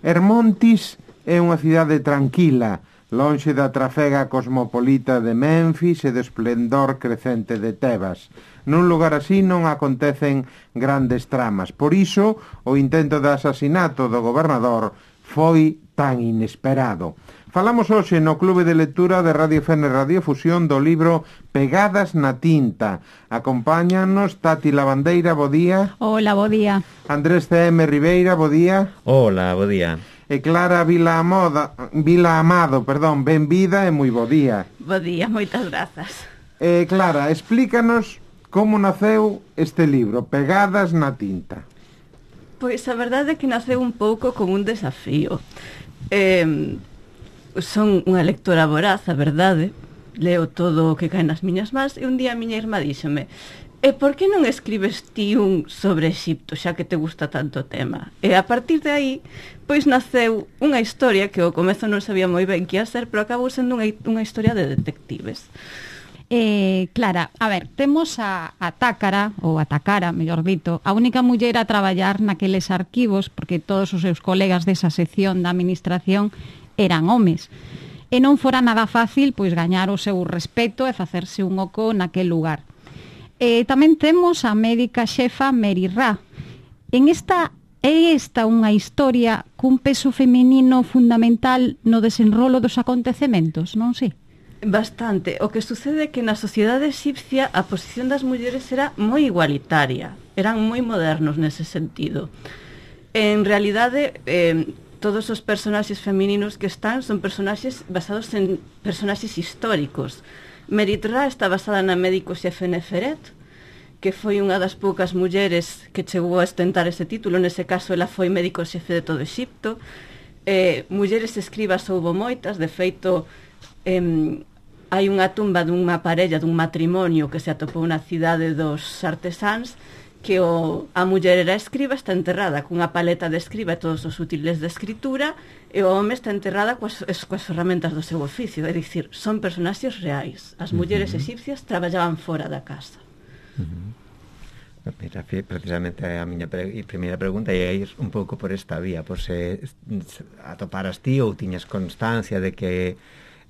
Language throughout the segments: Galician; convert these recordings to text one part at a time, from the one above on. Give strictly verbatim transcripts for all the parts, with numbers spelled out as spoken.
Hermontis é unha cidade tranquila, lonxe da trafega cosmopolita de Memphis e do esplendor crecente de Tebas. Nun lugar así non acontecen grandes tramas. Por iso, o intento de asasinato do gobernador foi tan inesperado. Falamos hoxe no Clube de Lectura de Radio Fene Radiofusión do libro Pegadas na tinta. Acompáñanos Tati Lavandeira, bo día. Hola, bo día. Andrés C M Ribeira, bo día. Hola, bo día. E Clara Vila Amoda, Vila Amado, perdón, benvida e moi bo día. Bo día, moitas grazas. E Clara, explícanos como naceu este libro, Pegadas na tinta. Pois a verdade é que naceu un pouco como un desafío. Eh, son unha lectora voraz, a verdade, leo todo o que cae nas miñas mans, e un día a miña irmá díxome: e por que non escribes ti un sobre Exipto, xa que te gusta tanto o tema? E a partir de aí, pois naceu unha historia que ao comezo non sabía moi ben que ia ser, pero acabou sendo unha, unha historia de detectives. Eh, Clara, a ver, temos a, a Tácara, ou a Tacara, mellor dito, a única muller a traballar naqueles arquivos, porque todos os seus colegas desa sección da administración eran homes. E non fora nada fácil pois gañar o seu respeto e facerse un oco naquel lugar. E tamén temos a médica xefa Mary Ra. En esta é esta unha historia cun peso feminino fundamental no desenrolo dos acontecementos, non sei? Bastante. O que sucede é que na sociedade egipcia a posición das mulleres era moi igualitaria. Eran moi modernos nese sentido. En realidade, eh, todos os personaxes femininos que están son personaxes basados en personaxes históricos. Merit Ra está basada na médico xefe Neferet, que foi unha das poucas mulleres que chegou a ostentar ese título. Nese caso, ela foi médico xefe de todo Exipto. Eh, mulleres escribas houbo moitas. De feito, eh, hai unha tumba dunha parella, dun matrimonio que se atopou na cidade dos artesáns, que o, a muller era escriba, está enterrada cunha paleta de escriba e todos os útiles de escritura, e o home está enterrada coas, coas ferramentas do seu oficio. É dicir, son personaxes reais. As mulleres uh-huh. egipcias traballaban fora da casa. Uh-huh. Mira, precisamente a miña pre primeira pregunta é ir un pouco por esta vía, por se atoparas ti ou tiñas constancia de que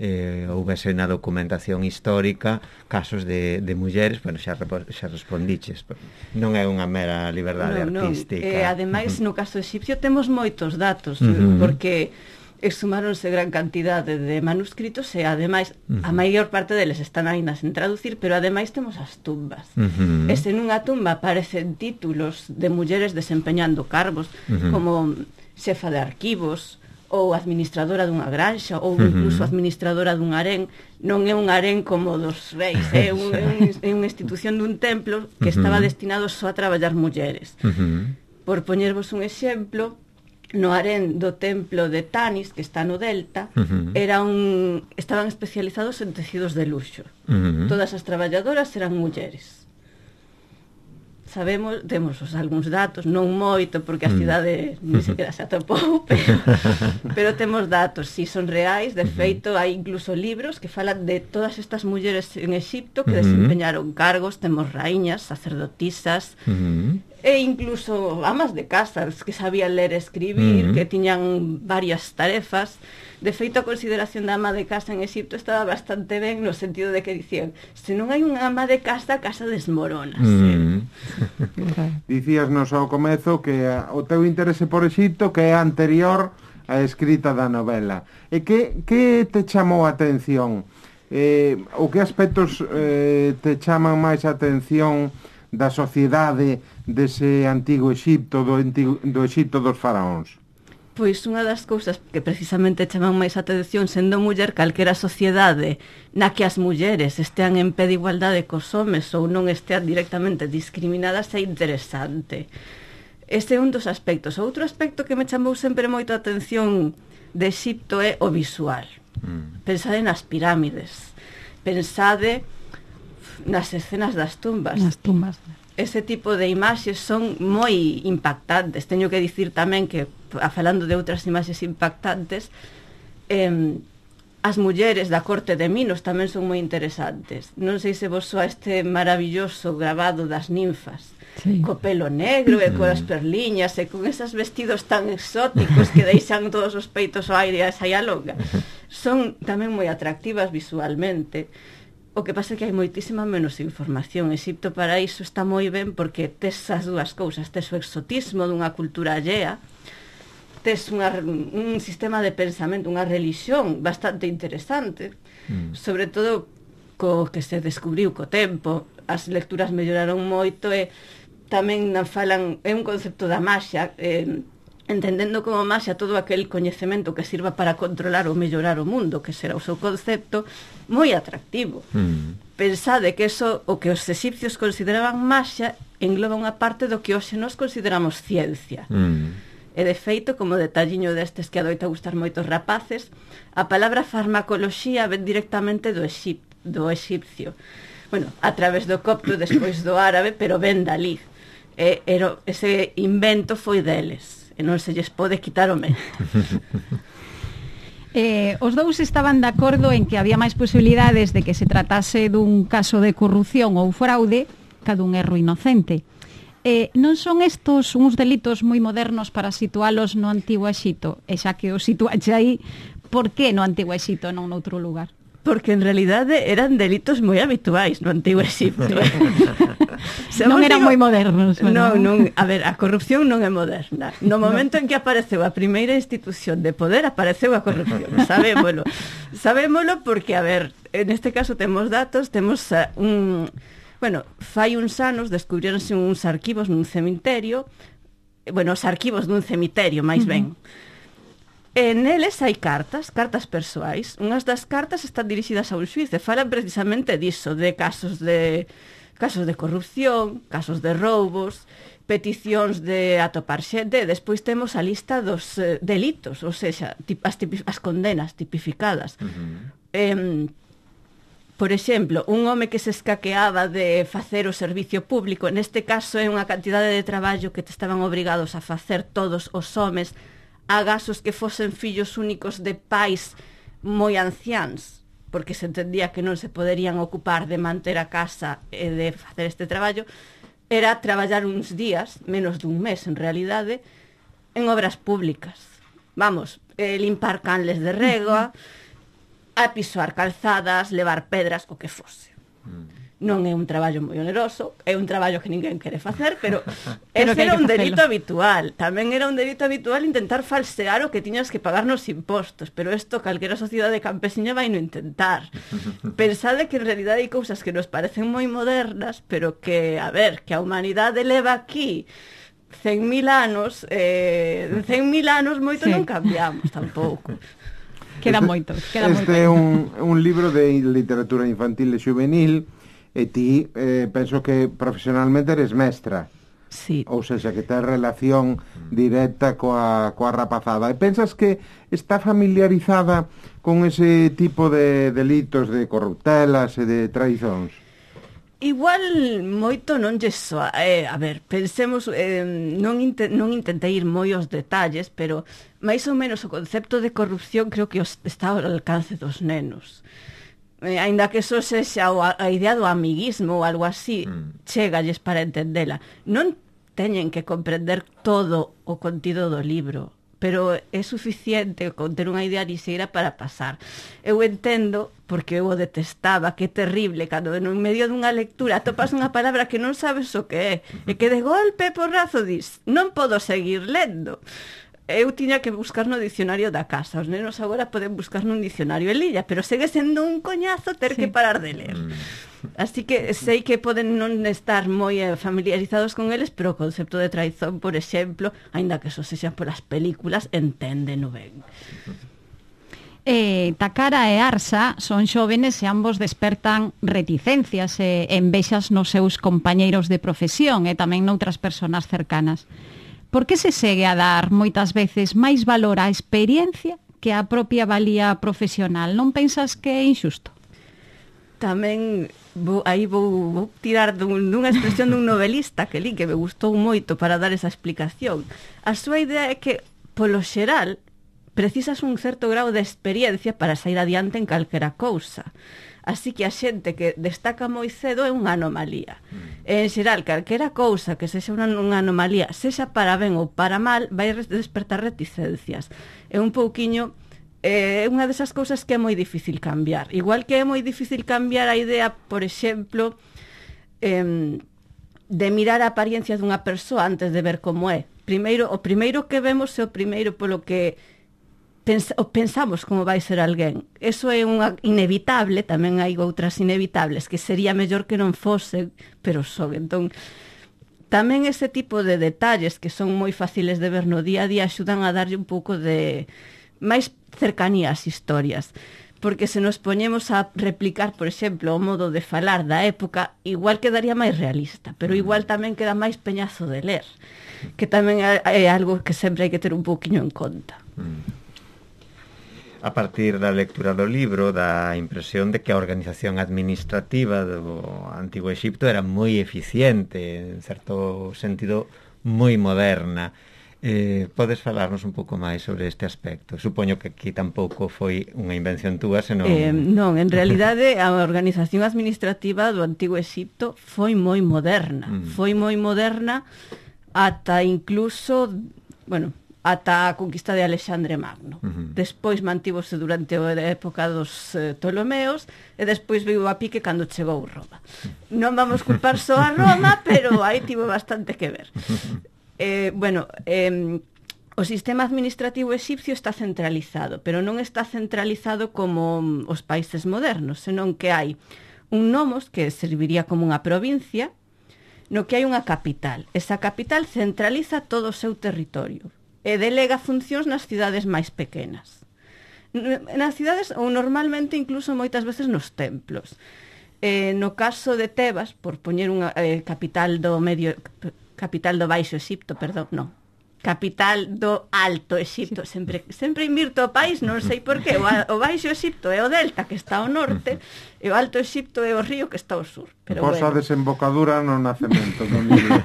eh, houvese na documentación histórica casos de, de mulleres. Bueno, xa, xa respondiches, non é unha mera liberdade no, artística. No. E ademais, uh-huh. no caso egipcio temos moitos datos, uh-huh. porque exhumáronse gran cantidade de manuscritos e ademais uh-huh. a maior parte deles están aínda sen traducir, pero ademais temos as tumbas. Uh-huh. E se nunha tumba aparecen títulos de mulleres desempeñando cargos, uh-huh. como xefa de arquivos, ou administradora dunha granxa, ou incluso administradora dun harén. Non é un harén como dos reis, é, un, é, un, é unha institución dun templo que estaba destinado só a traballar mulleres. Uh-huh. Por poñervos un exemplo, no harén do templo de Tanis, que está no Delta, uh-huh. era un, estaban especializados en tecidos de luxo. Uh-huh. Todas as traballadoras eran mulleres. Sabemos, temos os algúns datos, non moito, porque a cidade mm. ni sequera se atopou, pero, pero temos datos, si son reais. De feito, hai incluso libros que falan de todas estas mulleres en Exipto que mm-hmm. desempeñaron cargos. Temos raíñas, sacerdotisas, mm-hmm. e incluso amas de casa que sabían ler e escribir, mm-hmm. que tiñan varias tarefas. De feito, a consideración da ama de casa en Exipto estaba bastante ben, no sentido de que dicían: se non hai unha ama de casa, a casa desmorónase. Mm. Dicíasnos ao comezo que o teu interese por Exipto que é anterior á escrita da novela. E que, que te chamou a atención? Eh, ou que aspectos eh, te chaman máis a atención da sociedade dese antigo Exipto, do, antigo, do Exipto dos faraóns? Pois unha das cousas que precisamente chaman máis a atención, sendo muller, calquera sociedade na que as mulleres estean en pé de igualdade cos homes ou non estean directamente discriminadas, é interesante. Ese é un dos aspectos. Outro aspecto que me chamou sempre moito a atención de Exipto é o visual. Mm. Pensade nas pirámides, pensade nas escenas das tumbas. Nas tumbas. Ese tipo de imaxes son moi impactantes. Teño que dicir tamén que, falando de outras imaxes impactantes, eh, As mulleres da corte de Minos tamén son moi interesantes. Non sei se vos soa este maravilloso grabado das ninfas, sí, co pelo negro e coas perliñas e con esos vestidos tan exóticos que deixan todos os peitos ao aire a saia longa. Son tamén moi atractivas visualmente. O que pasa é que hai moitísima menos información. Exipto para iso está moi ben porque tes as dúas cousas, tes o exotismo dunha cultura allea, tes unha, un sistema de pensamento, unha religión bastante interesante, mm. sobre todo co que se descubriu co tempo. As lecturas melloraron moito e tamén falan, é un concepto da maxia, eh, entendendo como maxia todo aquel coñecemento que sirva para controlar ou mellorar o mundo, que será o seu concepto, moi atractivo. Mm. Pensade que eso, o que os exipcios consideraban maxia, engloba unha parte do que hoxe nos consideramos ciencia. Mm. E de feito, como detalliño destes que adoita gustar moitos rapaces, a palabra farmacoloxía ven directamente do, exip, do exipcio. Bueno, a través do copto, despois do árabe, pero ven dalí. E, era, ese invento foi deles, e non se lles pode quitar o mérito. Eh, os dous estaban de acordo en que había máis posibilidades de que se tratase dun caso de corrupción ou fraude ca dun erro inocente. Eh, non son estos uns delitos moi modernos para situalos no Antigo Exito? E xa que os situaxe aí, por que no Antigo Exito non noutro lugar? Porque en realidade eran delitos moi habituais no Antigo Exipto. Non eran digo, moi modernos. Non, non, a ver, a corrupción non é moderna. No momento no. en que apareceu a primeira institución de poder, apareceu a corrupción. Sabémolo. Sabémolo porque, a ver, en este caso temos datos, temos uh, un... Bueno, fai uns anos descubrironse uns arquivos nun cemiterio, bueno, os arquivos dun cemiterio, máis ben. Uh-huh. E neles hai cartas, cartas persoais. Unhas das cartas están dirixidas a un xuiz e falan precisamente diso, de casos de casos de corrupción, casos de roubos, peticións de atopar xente, e despois temos a lista dos eh, delitos, ou seja, as, tipi, as condenas tipificadas. Uh-huh. Eh, Por exemplo, un home que se escaqueaba de facer o servicio público, neste caso é unha cantidade de traballo que te estaban obrigados a facer todos os homes, agasos que fosen fillos únicos de pais moi anciáns, porque se entendía que non se poderían ocupar de manter a casa e de facer este traballo, era traballar uns días, menos dun mes en realidade, en obras públicas. Vamos, eh, limpar canles de rega, a pisoar calzadas, levar pedras, o que fose. Mm. Non é un traballo moi oneroso, é un traballo que ninguén quere facer, pero ese era un delito habitual. Tamén era un delito habitual intentar falsear o que tiñas que pagar nos impostos, pero isto calquera sociedade campesiña vai no intentar. Pensade que en realidade hai cousas que nos parecen moi modernas, pero que, a ver, que a humanidade leva aquí cen mil anos, eh, cen mil anos moito sí. non cambiamos tampouco. Queda moito, queda moito. Este é un, un libro de literatura infantil e juvenil e ti eh, penso que profesionalmente eres mestra. Sí. Ou seja, que tes relación directa coa, coa rapazada. E pensas que está familiarizada con ese tipo de delitos de corruptelas e de traizóns? Igual moito non lle soa, eh, a ver, pensemos, eh, non, inte, non intentei ir moi aos detalles, pero máis ou menos o concepto de corrupción creo que os, está ao alcance dos nenos. Eh, aínda que eso sexa a, a idea do amiguismo ou algo así, mm. chegalles para entendela. Non teñen que comprender todo o contido do libro, pero é suficiente con ter unha idea lixeira para pasar. Eu entendo, porque eu o detestaba, que é terrible, cando en medio dunha lectura topas unha palabra que non sabes o que é, e que de golpe porrazo dis, non podo seguir lendo. Eu tiña que buscar no dicionario da casa. Os nenos agora poden buscar nun dicionario en liña, pero segue sendo un coñazo ter sí. que parar de ler. Así que sei que poden non estar moi familiarizados con eles, pero o concepto de traizón, por exemplo, aínda que eso sexa polas películas, enténdeno ben. Eh, Takara e Arsa son xóvenes e ambos despertan reticencias e envexas nos seus compañeiros de profesión e tamén noutras persoas cercanas. Por que se segue a dar moitas veces máis valor á experiencia que á propia valía profesional? Non pensas que é injusto? Tamén vou, aí vou, vou tirar dun, dunha expresión dun novelista que li, que me gustou moito para dar esa explicación. A súa idea é que, polo xeral, precisas un certo grau de experiencia para sair adiante en calquera cousa. Así que a xente que destaca moi cedo é unha anomalía. En xeral, calquera cousa que sexa unha, unha anomalía, sexa para ben ou para mal, vai despertar reticencias. É un pouquiño... É unha desas cousas que é moi difícil cambiar. Igual que é moi difícil cambiar a idea, por exemplo, eh, de mirar a apariencia dunha persoa antes de ver como é. Primeiro, o primeiro que vemos é o primeiro polo que Pens pensamos como vai ser alguén. Eso é unha inevitable, tamén hai outras inevitables que sería mellor que non fosen, pero son. Entón, tamén ese tipo de detalles que son moi fáciles de ver no día a día axudan a darlle un pouco de máis cercanía ás historias, porque se nos poñemos a replicar, por exemplo, o modo de falar da época, igual quedaría máis realista, pero igual tamén queda máis peñazo de ler, que tamén é algo que sempre hai que ter un pouquiño en conta. Mm. A partir da lectura do libro, dá a impresión de que a organización administrativa do Antigo Exipto era moi eficiente, en certo sentido moi moderna. Eh, podes falarnos un pouco máis sobre este aspecto? Supoño que aquí tampouco foi unha invención túa, senón... Eh, non, en realidade a organización administrativa do Antigo Exipto foi moi moderna. Mm. Foi moi moderna ata incluso, bueno... ata a conquista de Alexandre Magno. Uh-huh. Despois mantívose durante a época dos eh, Ptolomeos e despois veio a pique cando chegou Roma. Non vamos culpar só a Roma, pero aí tivo bastante que ver. Eh, bueno, eh, o sistema administrativo exipcio está centralizado, pero non está centralizado como os países modernos, senón que hai un nomos que serviría como unha provincia, no que hai unha capital. Esa capital centraliza todo o seu territorio e delega funcións nas cidades máis pequenas. Nas cidades, ou normalmente incluso moitas veces nos templos. Eh, no caso de Tebas, por poñer unha eh, capital do medio capital do Baixo Exipto, perdón, non. Capital do Alto Exipto, sempre sempre invirto o país, non sei por qué. O, o Baixo Exipto é o delta que está ao norte e o Alto Exipto é o río que está ao sur. Pero Posa bueno. Desembocadura no nacemento do Nilo.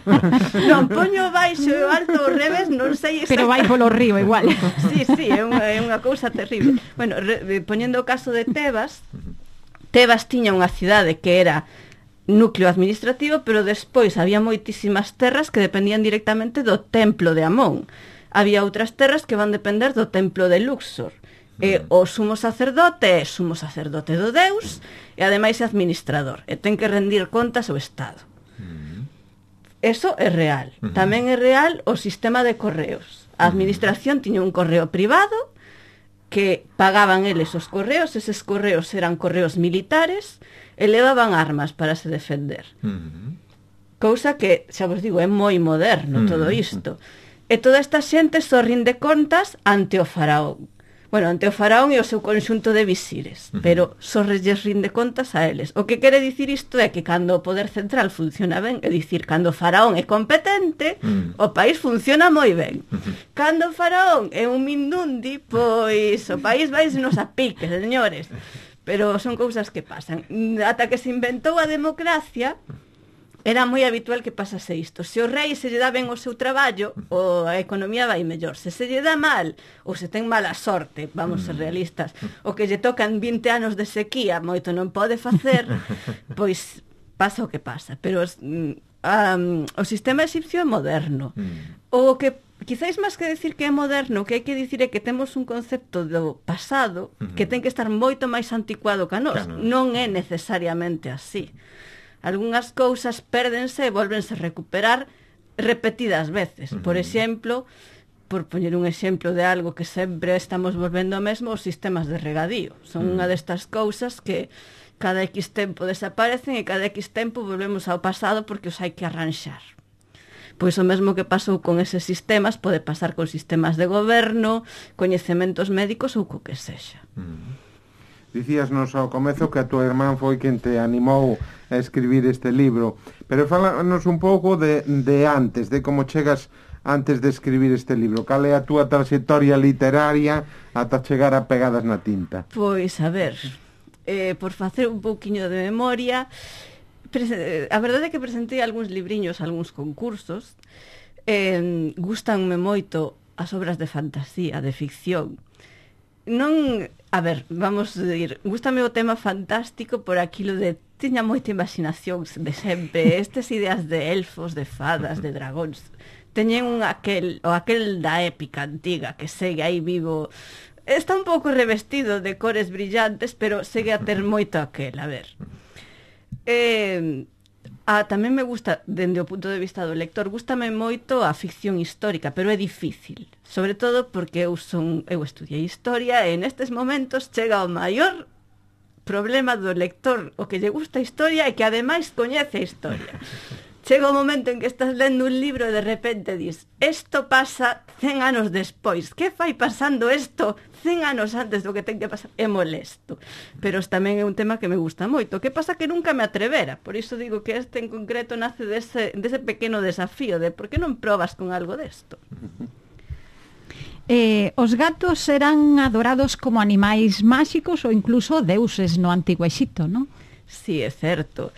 Non, poño o Baixo e o Alto ao revés, non sei exactamente. Pero vai polo río igual. Sí, sí, é unha, é unha cousa terrible. Bueno, re, poñendo o caso de Tebas, Tebas tiña unha cidade que era núcleo administrativo, pero despois había moitísimas terras que dependían directamente do templo de Amón. Había outras terras que van depender do templo de Luxor. Mm. E o sumo sacerdote é sumo sacerdote do Deus e ademais é administrador e ten que rendir contas ao Estado. Mm. Eso é real. Mm-hmm. Tamén é real o sistema de correos. A administración mm. tiña un correo privado que pagaban eles os correos, eses correos eran correos militares e levaban armas para se defender. Uh-huh. Cousa que, xa vos digo, é moi moderno uh-huh. todo isto. E toda esta xente só rinde contas ante o faraón. Bueno, ante o faraón e o seu conxunto de visires, uh-huh. pero só lles rinde contas a eles. O que quere dicir isto é que cando o poder central funciona ben, é dicir, cando o faraón é competente, uh-huh. o país funciona moi ben. Uh-huh. Cando o faraón é un mindundi, pois o país vai nos a pique, señores. Pero son cousas que pasan. Ata que se inventou a democracia, era moi habitual que pasase isto. Se o rei se lle dá ben o seu traballo, o a economía vai mellor. Se se lle dá mal, ou se ten mala sorte, vamos ser realistas, o que lle tocan vinte anos de sequía, moito non pode facer, pois pasa o que pasa. Pero um, o sistema exipcio é moderno. O que quizáis máis que decir que é moderno, o que hai que dicir é que temos un concepto do pasado uh-huh. que ten que estar moito máis anticuado que a nós. Claro. Non é necesariamente así. Algúnas cousas pérdense e volvense a recuperar repetidas veces. Uh-huh. Por exemplo, por poñer un exemplo de algo que sempre estamos volvendo ao mesmo, os sistemas de regadío. Son uh-huh. unha destas cousas que cada X tempo desaparecen e cada X tempo volvemos ao pasado porque os hai que arranxar. Pois o mesmo que pasou con eses sistemas pode pasar con sistemas de goberno, coñecementos médicos ou co que sexa. Mm. Dicíasnos ao comezo que a tua irmán foi quen te animou a escribir este libro, pero fálanos un pouco de, de antes, de como chegas antes de escribir este libro. Cal é a túa trayectoria literaria ata chegar a Pegadas na tinta? Pois, a ver, eh, por facer un pouquiño de memoria... A verdade é que presentei algúns libriños, algúns concursos. Eh, gustanme moito as obras de fantasía, de ficción. Non, a ver, vamos a dir, gústame o tema fantástico por aquilo de tiña moita imaginación de sempre, estas ideas de elfos, de fadas, de dragóns, teñen un aquel, o aquel da épica antiga que segue aí vivo, está un pouco revestido de cores brillantes, pero segue a ter moito aquel, a ver. Eh... Ah, tamén me gusta, dende o punto de vista do lector, gústame moito a ficción histórica, pero é difícil, sobre todo porque eu son eu estudiei historia e nestes momentos chega o maior problema do lector, o que lle gusta a historia e que ademais coñece a historia. Chega o momento en que estás lendo un libro e de repente dis, isto pasa cen anos despois, que fai pasando isto cen anos antes do que ten que pasar? É molesto, pero tamén é un tema que me gusta moito. Que pasa que nunca me atrevera, por iso digo que este en concreto nace dese, dese pequeno desafío de por que non probas con algo desto? Eh, os gatos eran adorados como animais máxicos ou incluso deuses no Antigo Exipto, non? Sí, é certo.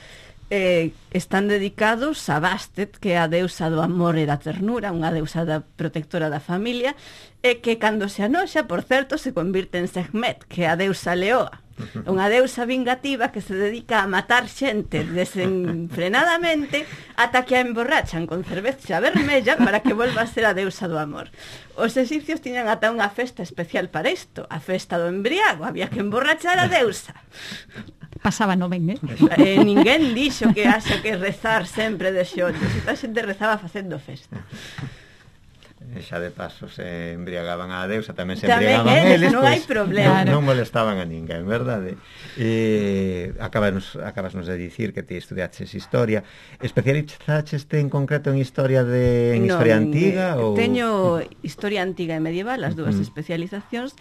Eh, están dedicados a Bastet, que é a deusa do amor e da ternura, unha deusa da protectora da familia, e que cando se anoxa, por certo, se convirte en Sekhmet, que é a deusa leoa, unha deusa vingativa que se dedica a matar xente desenfrenadamente ata que a emborrachan con cerveza vermella para que volva a ser a deusa do amor. Os egipcios tiñan ata unha festa especial para isto, a festa do embriago, había que emborrachar a deusa. Pasaba no ben, eh? eh ninguén dixo que haxa que rezar sempre de xollos, a xente rezaba facendo festa. E xa de paso se embriagaban a deusa, tamén se tamén embriagaban eles, eles, non pues, hai problema. Non, non molestaban a ninguén, verdade? Eh, acabas, acabasnos de dicir que ti estudiaches historia. Especializaches en concreto en historia de en non, historia antiga eh, ou teño historia antiga e medieval, as dúas uh -huh. especializacións.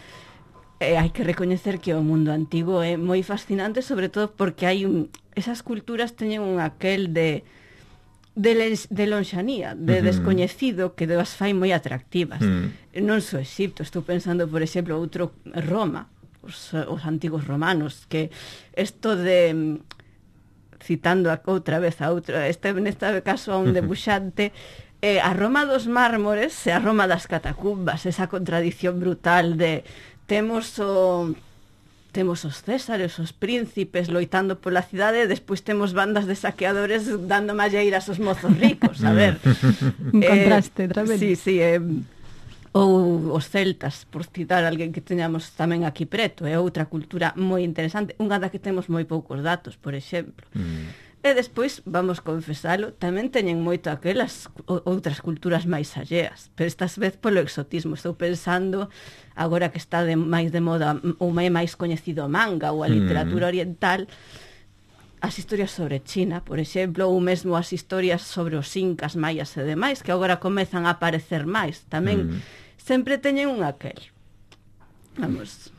Eh, hai que recoñecer que o mundo antigo é moi fascinante, sobre todo porque hai un, esas culturas teñen un aquel de de, les, de lonxanía, de uh -huh. descoñecido que as fai moi atractivas. Uh -huh. Non só Exipto, estou pensando, por exemplo, outro Roma, os, os antigos romanos, que isto de citando a, outra vez a outro, este neste caso a un debuxante, eh, a Roma dos mármores e a Roma das catacumbas, esa contradición brutal de temos o temos os césares, os príncipes loitando pola cidade e despois temos bandas de saqueadores dando malleiras aos mozos ricos, a ver. Un contraste eh, tremendo. Sí, sí, eh, ou os celtas, por citar alguén que teñamos tamén aquí preto, é outra cultura moi interesante, unha da que temos moi poucos datos, por exemplo. Mm. E despois, vamos confesalo, tamén teñen moito aquelas outras culturas máis alleas, pero estas vez polo exotismo. Estou pensando, agora que está de, máis de moda ou máis coñecido o manga ou a literatura oriental, as historias sobre China, por exemplo, ou mesmo as historias sobre os incas, maias e demais, que agora comezan a aparecer máis. Tamén mm. sempre teñen un aquel. Vamos...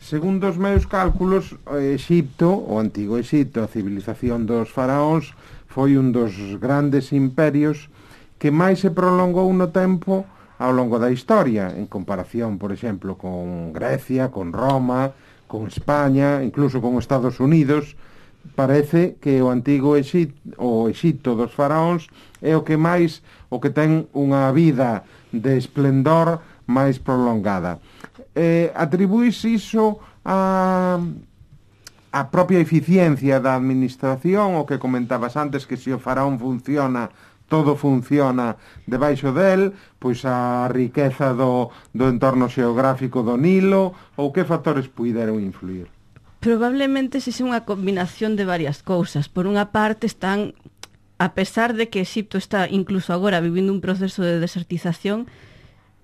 Segundo os meus cálculos, Exipto, o antigo Exipto, a civilización dos faraóns, foi un dos grandes imperios que máis se prolongou no tempo ao longo da historia, en comparación, por exemplo, con Grecia, con Roma, con España, incluso con Estados Unidos. Parece que o antigo Exipto, o Exipto dos faraóns é o que máis, o que ten unha vida de esplendor máis prolongada. Eh, atribuís iso a a propia eficiencia da administración, o que comentabas antes, que se o faraón funciona, todo funciona debaixo del, pois a riqueza do, do entorno xeográfico do Nilo, ou que factores puideron influir? Probablemente se é unha combinación de varias cousas. Por unha parte están, a pesar de que Exipto está incluso agora vivindo un proceso de desertización,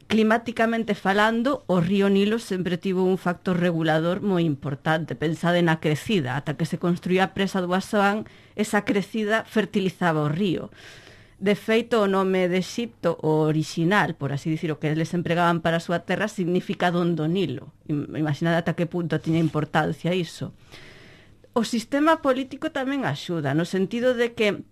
climáticamente falando, o río Nilo sempre tivo un factor regulador moi importante. Pensade na crecida, ata que se construía a presa do Aswan, esa crecida fertilizaba o río. De feito, o nome de Exipto, o original, por así dicir, o que eles empregaban para a súa terra, significa don do Nilo. Imaginade ata que punto tiña importancia iso. O sistema político tamén axuda, no sentido de que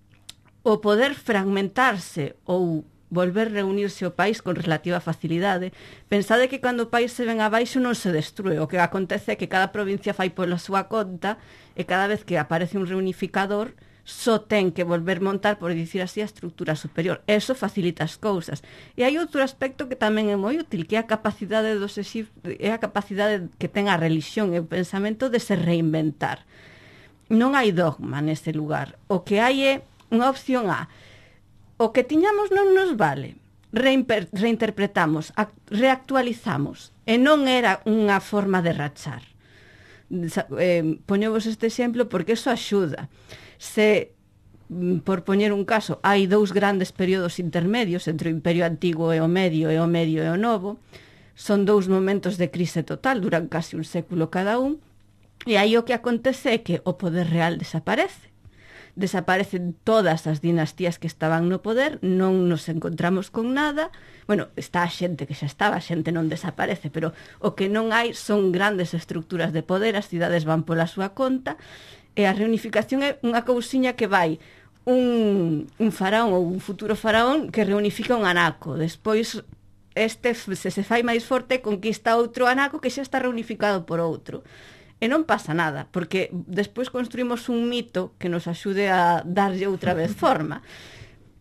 o poder fragmentarse ou volver reunirse o país con relativa facilidade. Pensade que cando o país se ven abaixo non se destrue, o que acontece é que cada provincia fai pola súa conta e cada vez que aparece un reunificador só ten que volver montar, por dicir así, a estructura superior. Eso facilita as cousas. E hai outro aspecto que tamén é moi útil, que é a capacidade dos exipcios, é a capacidade que ten a religión e o pensamento de se reinventar. Non hai dogma nese lugar. O que hai é unha opción A. O que tiñamos non nos vale. Reimper, reinterpretamos, reactualizamos. E non era unha forma de rachar. Eh, poñevos este exemplo porque eso axuda. Se, por poñer un caso, hai dous grandes períodos intermedios entre o Imperio Antigo e o Medio e o Medio e o Novo, son dous momentos de crise total, duran casi un século cada un, e aí o que acontece é que o poder real desaparece. Desaparecen todas as dinastías que estaban no poder, non nos encontramos con nada. Bueno, está a xente que xa estaba, a xente non desaparece, pero o que non hai son grandes estructuras de poder, as cidades van pola súa conta, e a reunificación é unha cousiña que vai un, un faraón ou un futuro faraón que reunifica un anaco, despois este se se fai máis forte conquista outro anaco que xa está reunificado por outro. E non pasa nada, porque despois construímos un mito que nos axude a darlle outra vez forma.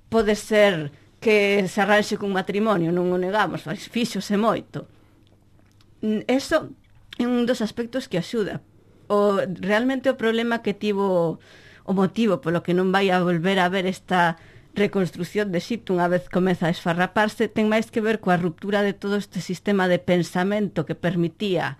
Pode ser que se arranxe cun matrimonio, non o negamos, fíxose moito. Eso é un dos aspectos que axuda. O, realmente o problema que tivo, o motivo polo que non vai a volver a ver esta reconstrucción de Egipto unha vez comeza a esfarraparse, ten máis que ver coa ruptura de todo este sistema de pensamento que permitía,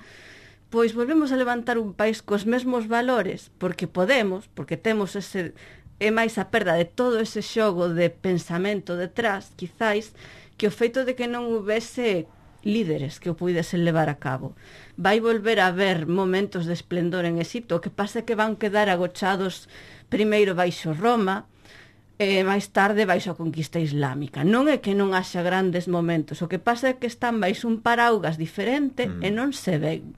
pois volvemos a levantar un país cos mesmos valores, porque podemos, porque temos ese, é máis a perda de todo ese xogo de pensamento detrás, quizáis, que o feito de que non houvese líderes que o puidesen levar a cabo. Vai volver a haber momentos de esplendor en Egipto, o que pasa é que van quedar agochados primeiro baixo Roma, e máis tarde baixo a conquista islámica. Non é que non haxa grandes momentos, o que pasa é que están baixo un paraugas diferente mm. e non se ven.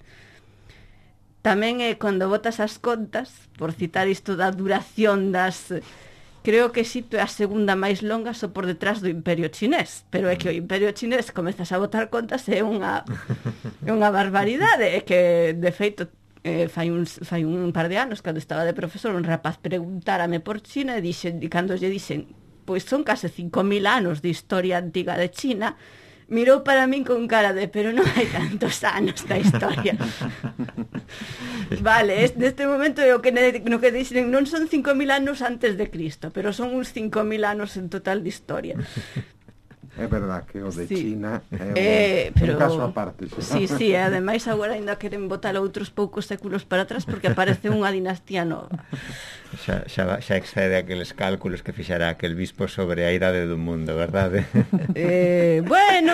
Tamén é cando botas as contas, por citar isto da duración das... Creo que Egipto é a segunda máis longa só por detrás do Imperio Chinés, pero é que o Imperio Chinés comezas a botar contas é unha é unha barbaridade, é que de feito eh, fai, un, fai un par de anos cando estaba de profesor un rapaz preguntárame por China e, dixen, e cando lle dixen pois son case cinco mil anos de historia antiga de China, mirou para min con cara de pero non hai tantos anos da historia. Vale, neste momento é o que no que dicen non son cinco mil anos antes de Cristo, pero son uns cinco mil anos en total de historia. É verdad que o de sí. China é un, eh, pero, un caso aparte. Sí, sí, sí, ademais agora ainda queren botar outros poucos séculos para atrás porque aparece unha dinastía nova. Xa, xa, xa excede aqueles cálculos que fixara aquel bispo sobre a idade do mundo, verdade? Eh, bueno...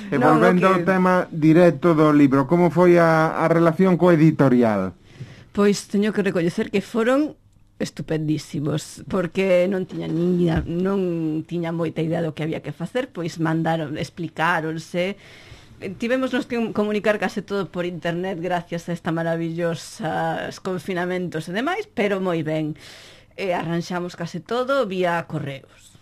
E volvendo no, que... ao tema directo do libro, como foi a, a relación co editorial? Pois teño que recoñecer que foron estupendísimos, porque non tiña niña, non tiña moita idea do que había que facer, pois mandaron, explicáronse. Tivemos nos que comunicar case todo por internet gracias a esta maravillosa confinamentos e demais, pero moi ben. E arranxamos case todo vía correos.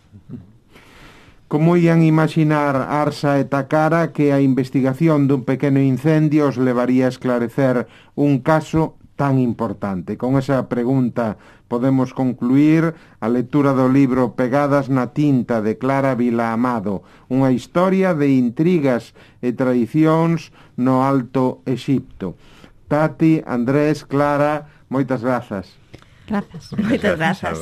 Como ían imaginar Arsa e Takara que a investigación dun pequeno incendio os levaría a esclarecer un caso tan importante? Con esa pregunta podemos concluir a lectura do libro Pegadas na tinta de Clara Vilaamado, unha historia de intrigas e tradicións no Alto Exipto. Tati, Andrés, Clara, moitas grazas. Grazas. Moitas grazas.